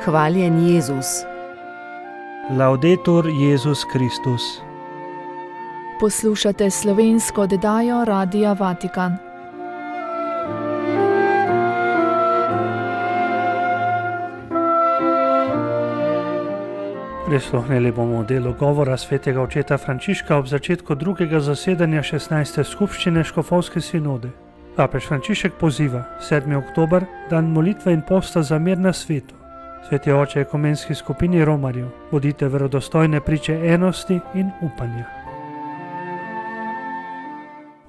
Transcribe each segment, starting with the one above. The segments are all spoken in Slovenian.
Hvaljen Jezus. Laudetur Jezus Kristus. Poslušate slovensko oddajo Radia Vatikan. Prisluhnili bomo delu govora svetega očeta Frančiška ob začetku drugega zasedanja 16. skupščine Škofovske sinode. Papež Frančišek poziva 7. oktober, dan molitve in posta za mir na svetu. Sveti oče ekumenski skupini romarjev, bodite verodostojne priče enosti in upanja.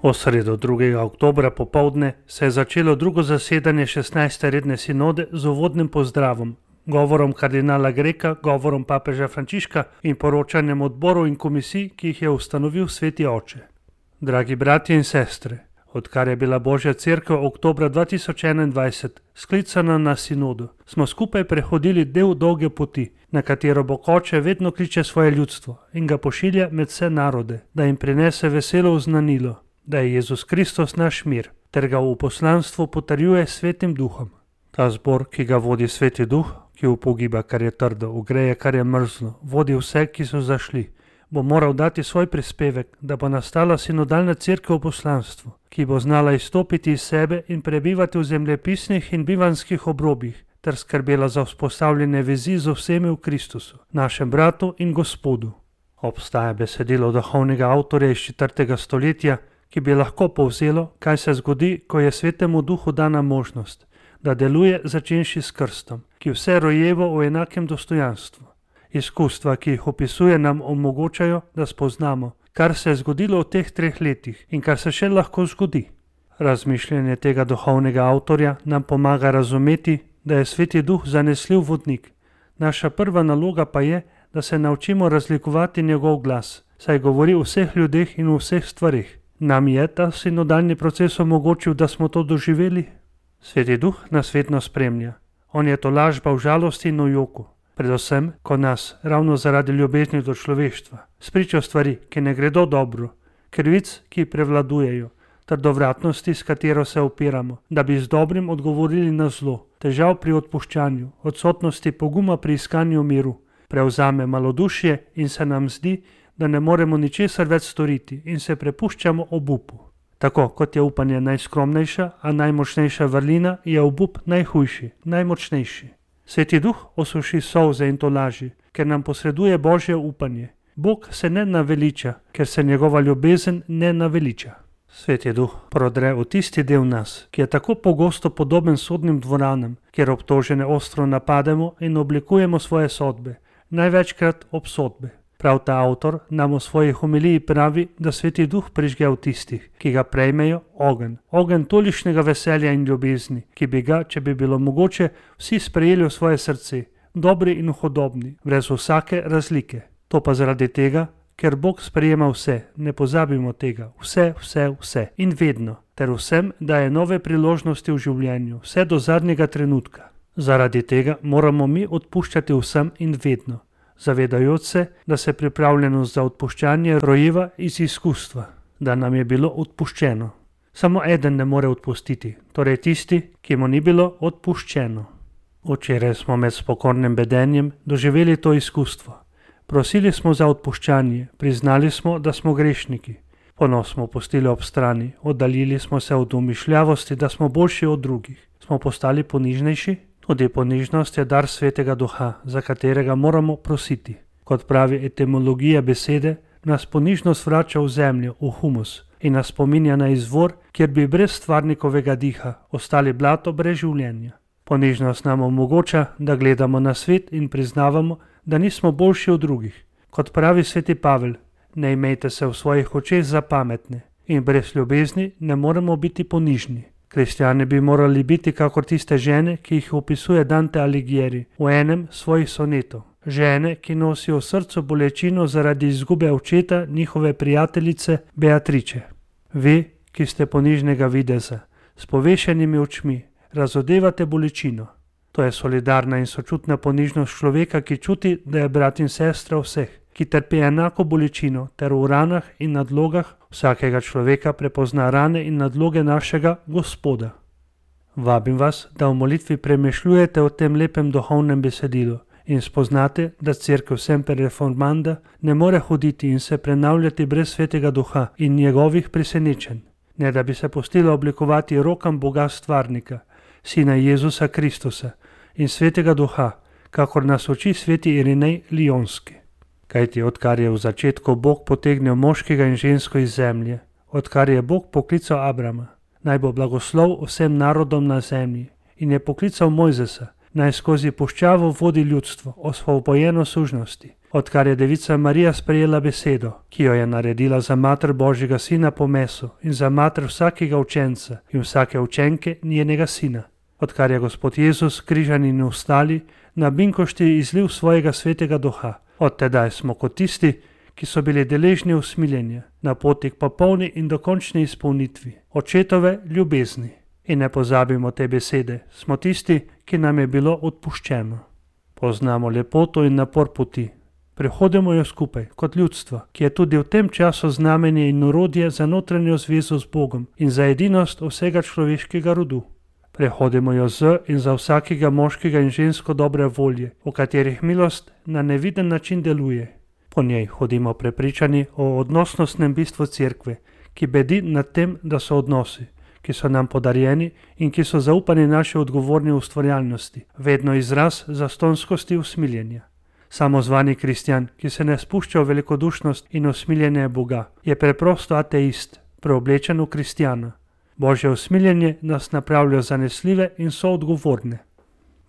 V sredo 2. oktobra popoldne se je začelo drugo zasedanje 16. redne sinode z uvodnim pozdravom, govorom kardinala Greka, govorom papeža Frančiška in poročanjem odborov in komisij, ki jih je ustanovil sveti oče. Dragi bratje in sestre, odkar je bila Božja cerkev oktobra 2021 sklicana na sinodu, smo skupaj prehodili del dolge poti, na katero Bog Oče vedno kliče svoje ljudstvo in ga pošilja med vse narode, da jim prinese veselo oznanilo, da je Jezus Kristus naš mir, ter ga v poslanstvu potrjuje Svetim Duhom. Ta zbor, ki ga vodi Sveti Duh, ki upogiba, kar je trdo, ugreje, kar je mrzlo, vodi vse, ki so zašli, bo moral dati svoj prispevek, da bo nastala sinodalna cerkev v poslanstvu, ki bo znala izstopiti iz sebe in prebivati v zemljepisnih in bivanskih obrobjih, ter skrbela za vzpostavljene vezi z vsemi v Kristusu, našem bratu in Gospodu. Obstaja besedilo duhovnega avtorja iz 4. stoletja, ki bi lahko povzelo, kaj se zgodi, ko je Svetemu Duhu dana možnost, da deluje začenši s krstom, ki vse rojevo v enakem dostojanstvu. Izkustva, ki jih opisuje, nam omogočajo, da spoznamo, kar se je zgodilo v teh 3 letih in kar se še lahko zgodi. Razmišljanje tega duhovnega avtorja nam pomaga razumeti, da je Sveti Duh zanesljiv vodnik. Naša prva naloga pa je, da se naučimo razlikovati njegov glas, saj govori o vseh ljudeh in o vseh stvarih. Nam je ta sinodalni proces omogočil, da smo to doživeli? Sveti Duh nas vedno spremlja. On je tolažba v žalosti in v joku. Predvsem, ko nas, ravno zaradi ljubezni do človeštva, spričo stvari, ki ne gredo dobro, krivic, ki prevladujejo, trdovratnosti, s katero se opiramo, da bi z dobrim odgovorili na zlo, težav pri odpuščanju, odsotnosti poguma pri iskanju miru, prevzame malodušje in se nam zdi, da ne moremo ničesar več storiti in se prepuščamo obupu. Tako kot je upanje najskromnejša, a najmočnejša vrlina, je obup najhujši, najmočnejši. Sveti Duh osuši solze in tolaži, ker nam posreduje Božje upanje. Bog se ne naveliča, ker se njegova ljubezen ne naveliča. Sveti Duh prodre v tisti del nas, ki je tako pogosto podoben sodnim dvoranam, kjer obtožene ostro napademo in oblikujemo svoje sodbe, največkrat obsodbe. Prav ta avtor nam v svoji homiliji pravi, da Sveti Duh prižge v tistih, ki ga prejmejo, ogenj tolikšnega veselja in ljubezni, ki bi ga, če bi bilo mogoče, vsi sprejeli v svoje srce, dobri in hudobni, brez vsake razlike. To pa zaradi tega, ker Bog sprejema vse, ne pozabimo tega, vse in vedno, ter vsem daje nove priložnosti v življenju, vse do zadnjega trenutka. Zaradi tega moramo mi odpuščati vsem in vedno, zavedajoč se, da se pripravljenost za odpuščanje rojeva iz izkustva, da nam je bilo odpuščeno. Samo eden ne more odpustiti, torej tisti, ki mu ni bilo odpuščeno. Včeraj smo med spokornim bedenjem doživeli to izkustvo. Prosili smo za odpuščanje, priznali smo, da smo grešniki. Ponos smo pustili ob strani, oddaljili smo se od umišljavosti, da smo boljši od drugih. Smo postali ponižnejši? Tudi ponižnost je dar Svetega Duha, za katerega moramo prositi. Kot pravi etimologija besede, nas ponižnost vrača v zemljo, v humus in nas spominja na izvor, kjer bi brez stvarnikovega diha ostali blato brez življenja. Ponižnost nam omogoča, da gledamo na svet in priznavamo, da nismo boljši od drugih. Kot pravi sveti Pavel, ne imejte se v svojih očeh za pametne in brez ljubezni ne moremo biti ponižni. Kristjani bi morali biti kakor tiste žene, ki jih opisuje Dante Alighieri v enem svojih sonetov. Žene, ki nosijo v srcu bolečino zaradi izgube očeta njihove prijateljice Beatrice. Vi, ki ste ponižnega videza, s povešenimi očmi, razodevate bolečino. To je solidarna in sočutna ponižnost človeka, ki čuti, da je brat in sestra vseh, ki trpi enako bolečino ter v ranah in nadlogah vsakega človeka prepozna rane in nadloge našega Gospoda. Vabim vas, da v molitvi premišljujete o tem lepem duhovnem besedilu in spoznate, da cerkev Semper Reformanda ne more hoditi in se prenavljati brez Svetega Duha in njegovih presenečenj, ne da bi se pustila oblikovati rokam Boga Stvarnika, Sina Jezusa Kristusa in Svetega Duha, kakor nas uči sveti Irinej Lijonski. Kajti odkar je v začetku Bog potegnil moškega in žensko iz zemlje, odkar je Bog poklical Abrama, naj bo blagoslov vsem narodom na zemlji, in je poklical Mojzesa, naj skozi puščavo vodi ljudstvo, osvobojeno sužnosti, odkar je devica Marija sprejela besedo, ki jo je naredila za mater Božjega sina po mesu in za mater vsakega učenca in vsake učenke njenega sina, odkar je Gospod Jezus križan in ostali na binkošti izliv svojega Svetega Duha, od tedaj smo kot tisti, ki so bili deležni usmiljenja, na poti k popolni in dokončni izpolnitvi očetove ljubezni. In ne pozabimo te besede, smo tisti, ki nam je bilo odpuščeno. Poznamo lepoto in napor poti. Prehodimo jo skupaj, kot ljudstvo, ki je tudi v tem času znamenje in orodje za notranjo zvezo z Bogom in za edinost vsega človeškega rodu. Prehodimo jo z in za vsakega moškega in žensko dobre volje, v katerih milost na neviden način deluje. Po njej hodimo prepričani o odnosnostnem bistvu cerkve, ki bedi nad tem, da so odnosi, ki so nam podarjeni in ki so zaupani naši odgovorni ustvarjalnosti, vedno izraz zastonskosti usmiljenja. Samozvani kristjan, ki se ne spušča v velikodušnost in usmiljenje Boga, je preprosto ateist, preoblečen v kristjana. Božje usmiljenje nas napravlja zanesljive in soodgovorne.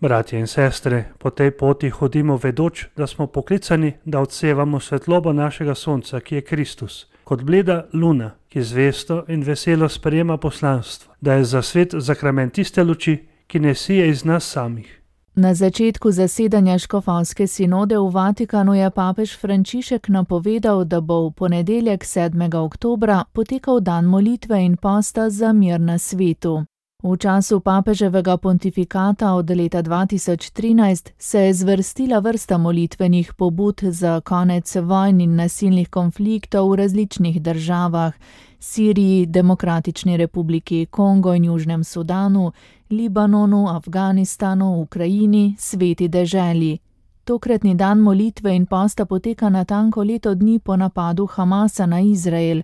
Bratje in sestre, po tej poti hodimo vedoč, da smo poklicani, da odsevamo svetlobo našega sonca, ki je Kristus, kot bleda luna, ki zvesto in veselo sprejema poslanstvo, da je za svet zakrament tiste luči, ki ne sije iz nas samih. Na začetku zasedanja škofovske sinode v Vatikanu je papež Frančišek napovedal, da bo v ponedeljek 7. oktobra potekal dan molitve in posta za mir na svetu. V času papeževega pontifikata od leta 2013 se je zvrstila vrsta molitvenih pobud za konec vojn in nasilnih konfliktov v različnih državah, Siriji, Demokratični republiki Kongo in Južnem Sudanu, Libanonu, Afganistanu, Ukrajini, Sveti deželi. Tokratni dan molitve in posta poteka natanko leto dni po napadu Hamasa na Izrael.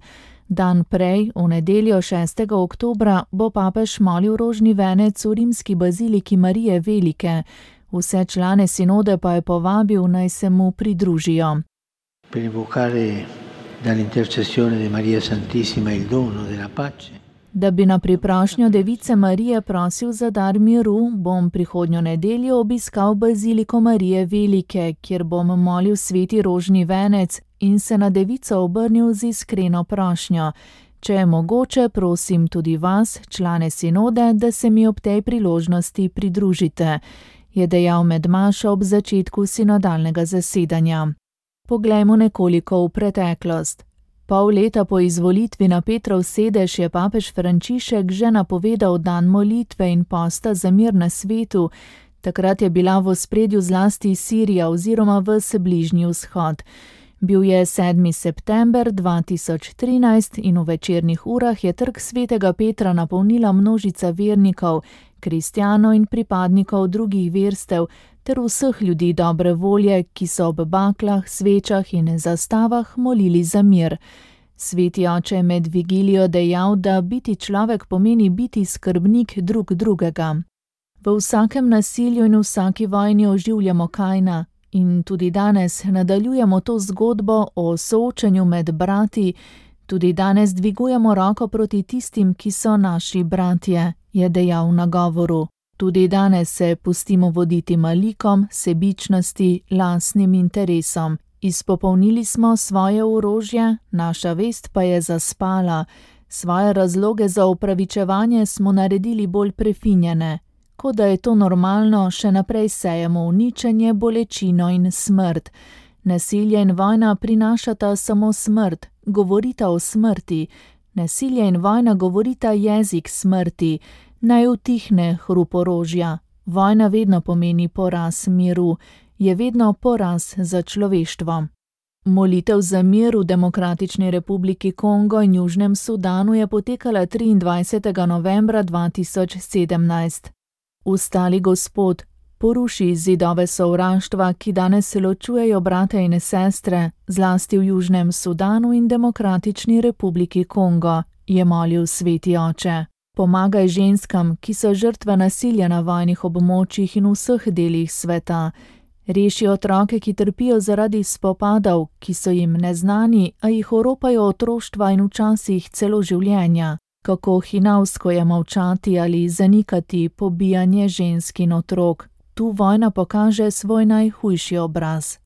Dan prej, v nedeljo 6. oktobra, bo papež molil rožni venec v rimski baziliki Marije Velike. Vse člane sinode pa je povabil, naj se mu pridružijo. Per invocare dall'intercessione di Maria Santissima il dono della pace. Da bi na priprošnjo device Marije prosil za dar miru, bom prihodnjo nedeljo obiskal baziliko Marije Velike, kjer bom molil sveti rožni venec in se na devico obrnil z iskreno prošnjo. Če je mogoče, prosim tudi vas, člane sinode, da se mi ob tej priložnosti pridružite, je dejal med mašo ob začetku sinodalnega zasedanja. Poglejmo nekoliko v preteklost. Pol leta po izvolitvi na Petrov sedež je papež Frančišek že napovedal dan molitve in posta za mir na svetu. Takrat je bila v ospredju zlasti Sirija oziroma ves Bližnji vzhod. Bil je 7. september 2013 in v večernih urah je trg svetega Petra napolnila množica vernikov, kristjanov in pripadnikov drugih verstev ter vseh ljudi dobre volje, ki so ob baklah, svečah in zastavah molili za mir. Sveti oče je med vigilijo dejal, da biti človek pomeni biti skrbnik drug drugega. V vsakem nasilju in vsaki vojni oživljamo Kaina in tudi danes nadaljujemo to zgodbo o soočenju med brati, tudi danes dvigujemo roko proti tistim, ki so naši bratje, je dejal na govoru. Tudi danes se pustimo voditi malikom, sebičnosti, lastnim interesom. Izpopolnili smo svoje orožje, naša vest pa je zaspala. Svoje razloge za opravičevanje smo naredili bolj prefinjene. Kot da je to normalno, še naprej sejemo uničenje, bolečino in smrt. Nasilje in vojna prinašata samo smrt, govorita o smrti. Nasilje in vojna govorita jezik smrti. Naj utihne hrup orožja. Vojna vedno pomeni poraz miru, je vedno poraz za človeštvo. Molitev za mir v Demokratični republiki Kongo in Južnem Sudanu je potekala 23. novembra 2017. Ustali Gospod, poruši zidove sovraštva, ki danes ločujejo brate in sestre, zlasti v Južnem Sudanu in Demokratični republiki Kongo, je molil Sveti Oče. Pomagaj ženskam, ki so žrtve nasilja na vojnih območjih in v vseh delih sveta. Reši otroke, ki trpijo zaradi spopadov, ki so jim neznani, a jih oropajo otroštva in včasih celo življenja. Kako hinavsko je molčati ali zanikati pobijanje žensk in otrok. Tu vojna pokaže svoj najhujši obraz.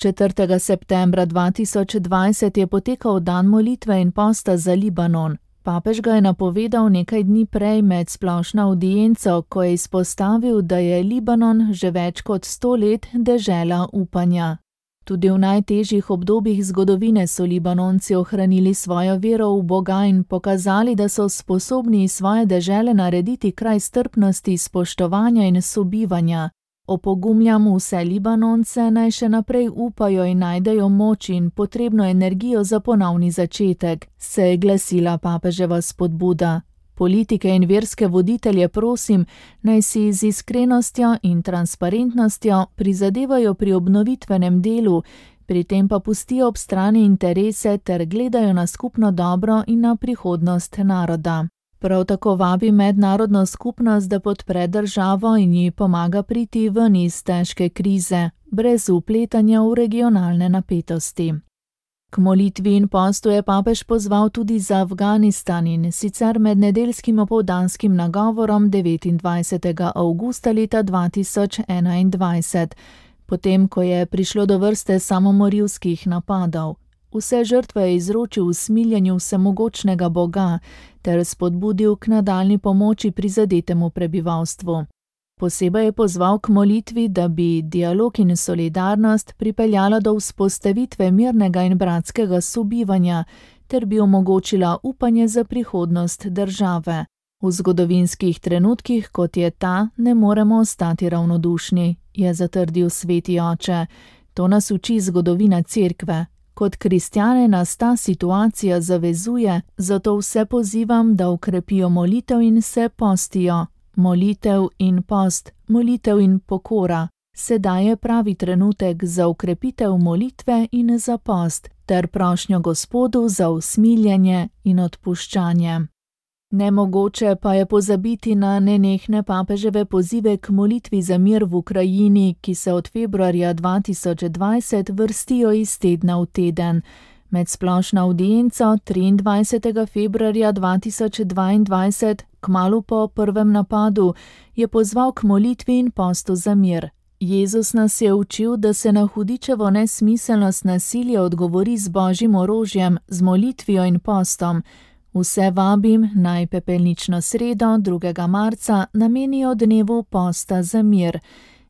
4. septembra 2020 je potekal dan molitve in posta za Libanon. Papež ga je napovedal nekaj dni prej med splošno avdienco, ko je izpostavil, da je Libanon že več kot 100 let dežela upanja. Tudi v najtežjih obdobjih zgodovine so Libanonci ohranili svojo vero v Boga in pokazali, da so sposobni iz svoje dežele narediti kraj strpnosti, spoštovanja in sobivanja. Opogumljam vse Libanonce, naj še naprej upajo in najdejo moč in potrebno energijo za ponovni začetek, se je glasila papeževa spodbuda. Politike in verske voditelje prosim, naj si z iskrenostjo in transparentnostjo prizadevajo pri obnovitvenem delu, pri tem pa pustijo ob strani interese ter gledajo na skupno dobro in na prihodnost naroda. Prav tako vabi mednarodno skupnost, da podpre državo in ji pomaga priti ven iz težke krize, brez vpletanja v regionalne napetosti. K molitvi in postu je papež pozval tudi za Afganistan in sicer med nedeljskim opoldanskim nagovorom 29. avgusta leta 2021, potem ko je prišlo do vrste samomorilskih napadov. Vse žrtve je izročil v smiljenju vsemogočnega Boga ter spodbudil k nadaljnji pomoči prizadetemu prebivalstvu. Posebej je pozval k molitvi, da bi dialog in solidarnost pripeljala do vzpostavitve mirnega in bratskega sobivanja ter bi omogočila upanje za prihodnost države. V zgodovinskih trenutkih, kot je ta, ne moremo ostati ravnodušni, je zatrdil Sveti Oče. To nas uči zgodovina Cerkve. Kot kristjane nas ta situacija zavezuje, zato vse pozivam, da ukrepijo molitev in se postijo. Molitev in post, molitev in pokora. Sedaj je pravi trenutek za ukrepitev molitve in za post, ter prošnjo Gospodu za usmiljenje in odpuščanje. Nemogoče pa je pozabiti na nenehne papeževe pozive k molitvi za mir v Ukrajini, ki se od februarja 2020 vrstijo iz tedna v teden. Med splošno avdienco 23. februarja 2022, kmalu po prvem napadu, je pozval k molitvi in postu za mir. Jezus nas je učil, da se na hudičevo nesmiselnost nasilja odgovori z božjim orožjem, z molitvijo in postom. Vse vabim, naj pepelnično sredo 2. marca namenijo dnevu posta za mir.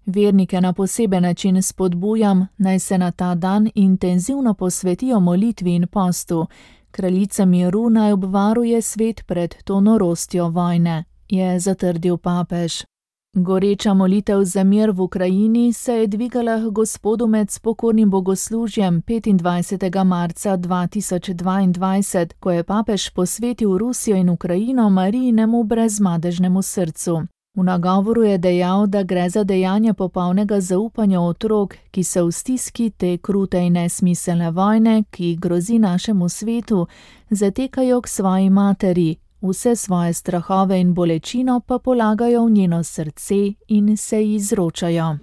Vernike na poseben način spodbujam, naj se na ta dan intenzivno posvetijo molitvi in postu. Kraljica miru naj obvaruje svet pred to norostjo vojne, je zatrdil papež. Goreča molitev za mir v Ukrajini se je dvigala k Gospodu med spokornim bogoslužjem 25. marca 2022, ko je papež posvetil Rusijo in Ukrajino Marijinemu brezmadežnemu srcu. V nagovoru je dejal, da gre za dejanje popolnega zaupanja otrok, ki se v stiski te krute in nesmiselne vojne, ki grozi našemu svetu, zatekajo k svoji materi. Vse svoje strahove in bolečino pa polagajo v njeno srce in se ji izročajo.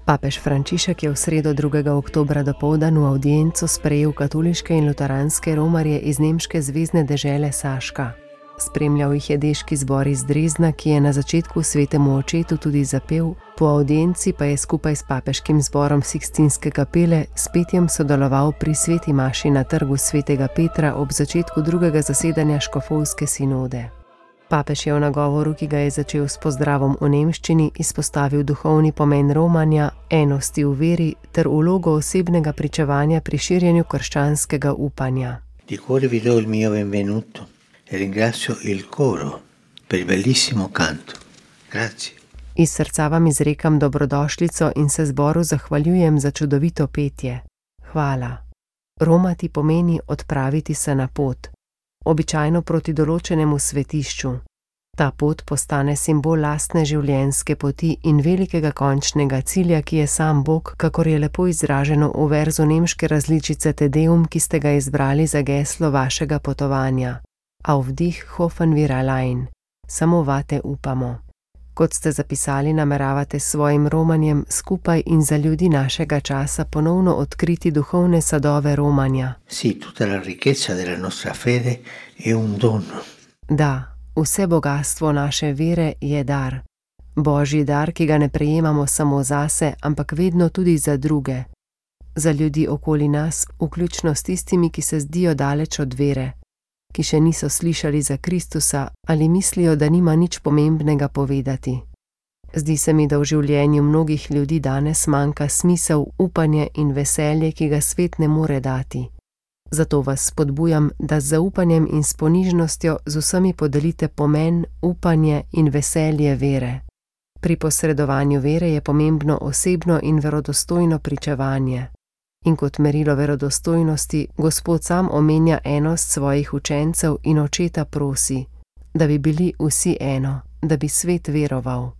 Papež Frančišek je v sredo 2. oktobra dopoldan v avdienco sprejel katoliške in luteranske romarje iz nemške zvezne dežele Saška. Spremljal jih je deški zbor iz Drezna, ki je na začetku svetemu očetu tudi zapel, po avdienci pa je skupaj s papeškim zborom Sikstinske kapele s petjem sodeloval pri sveti maši na trgu svetega Petra ob začetku drugega zasedanja škofovske sinode. Papež je v nagovoru, ki ga je začel s pozdravom v nemščini, izpostavil duhovni pomen romanja, enosti v veri ter vlogo osebnega pričevanja pri širjenju krščanskega upanja. Di cuore vi do il mio benvenuto. E ringrazio il coro per il bellissimo canto. Grazie. Iz srca vam izrekam dobrodošlico in se zboru zahvaljujem za čudovito petje. Hvala. Romati pomeni odpraviti se na pot, običajno proti določenemu svetišču. Ta pot postane simbol lastne življenjske poti in velikega končnega cilja, ki je sam Bog, kakor je lepo izraženo v verzu nemške različice Te Deum, ki ste ga izbrali za geslo vašega potovanja. Auf dich hoffen wir allein. Samo vate upamo. Kot ste zapisali, nameravate s svojim romanjem skupaj in za ljudi našega časa ponovno odkriti duhovne sadove romanja. Sì, tutta la ricchezza della nostra fede è un dono. Da, vse bogastvo naše vere je dar. Božji dar, ki ga ne prejemamo samo zase, ampak vedno tudi za druge. Za ljudi okoli nas, vključno s tistimi, ki se zdijo daleč od vere, ki še niso slišali za Kristusa ali mislijo, da nima nič pomembnega povedati. Zdi se mi, da v življenju mnogih ljudi danes manjka smisel, upanje in veselje, ki ga svet ne more dati. Zato vas spodbujam, da z zaupanjem in s ponižnostjo z vsemi podelite pomen, upanje in veselje vere. Pri posredovanju vere je pomembno osebno in verodostojno pričevanje. In kot merilo verodostojnosti Gospod sam omenja enost svojih učencev in očeta prosi, da bi bili vsi eno, da bi svet veroval.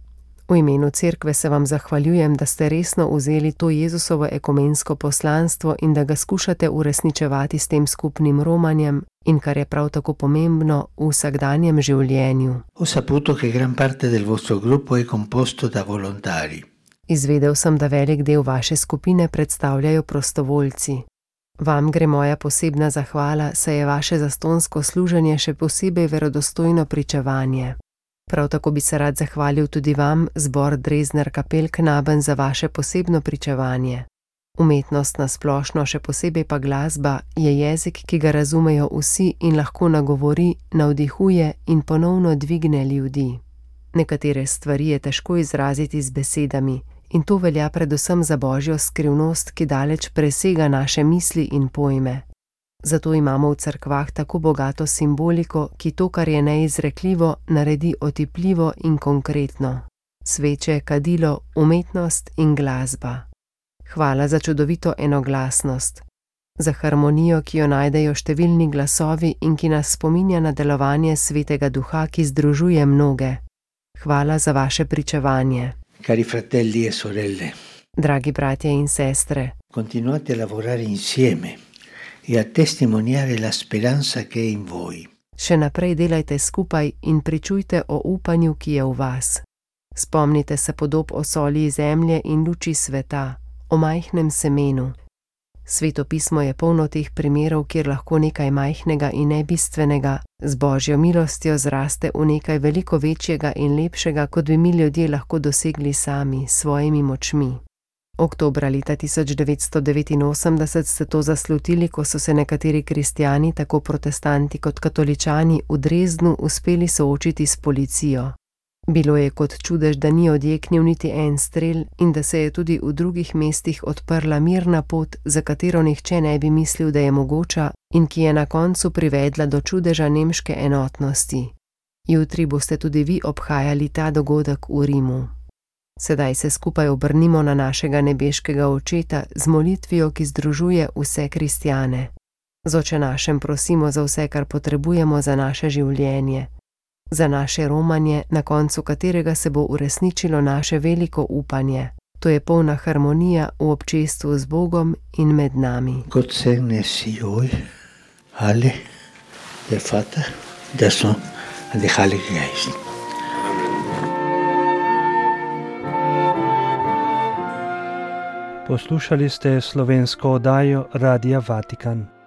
V imenu cerkve se vam zahvaljujem, da ste resno vzeli to Jezusovo ekumensko poslanstvo in da ga skušate uresničevati s tem skupnim romanjem in, kar je prav tako pomembno, v vsakdanjem življenju. Ho saputo che gran parte del vostro gruppo è composto da volontari. Izvedel sem, da velik del vaše skupine predstavljajo prostovoljci. Vam gre moja posebna zahvala, saj je vaše zastonsko služenje še posebej verodostojno pričevanje. Prav tako bi se rad zahvalil tudi vam, zbor Dresdner Kapellknaben, za vaše posebno pričevanje. Umetnost na splošno, še posebej pa glasba, je jezik, ki ga razumejo vsi in lahko nagovori, navdihuje in ponovno dvigne ljudi. Nekatere stvari je težko izraziti z besedami in to velja predvsem za Božjo skrivnost, ki daleč presega naše misli in pojme. Zato imamo v cerkvah tako bogato simboliko, ki to, kar je neizrekljivo, naredi otipljivo in konkretno. Sveče, kadilo, umetnost in glasba. Hvala za čudovito enoglasnost, za harmonijo, ki jo najdejo številni glasovi in ki nas spominja na delovanje Svetega Duha, ki združuje mnoge. Hvala za vaše pričevanje. Cari fratelli e sorelle, dragi bratje in sestre, continuate a lavorare insieme e a testimoniare la speranza che è in voi. Še naprej delajte skupaj in pričujte o upanju, ki je v vas. Spomnite se podob o soli zemlje in luči sveta, o majhnem semenu. Sveto pismo je polno teh primerov, kjer lahko nekaj majhnega in nebistvenega z Božjo milostjo zraste v nekaj veliko večjega in lepšega, kot bi mi ljudje lahko dosegli sami, s svojimi močmi. Oktobra leta 1989 ste to zaslutili, ko so se nekateri kristjani, tako protestanti kot katoličani, v Dresdnu uspeli soočiti s policijo. Bilo je kot čudež, da ni odjeknil niti en strel in da se je tudi v drugih mestih odprla mirna pot, za katero nihče ne bi mislil, da je mogoča in ki je na koncu privedla do čudeža nemške enotnosti. Jutri boste tudi vi obhajali ta dogodek v Rimu. Sedaj se skupaj obrnimo na našega nebeškega Očeta z molitvijo, ki združuje vse kristjane. Z Oče našem prosimo za vse, kar potrebujemo za naše življenje, za naše romanje, na koncu katerega se bo uresničilo naše veliko upanje. To je polna harmonija v občestvu z Bogom in med nami. Gott segne Sie euch alle, der Vater, der Sohn und der Heilige Geist. Poslušali ste slovensko oddajo Radia Vatikan.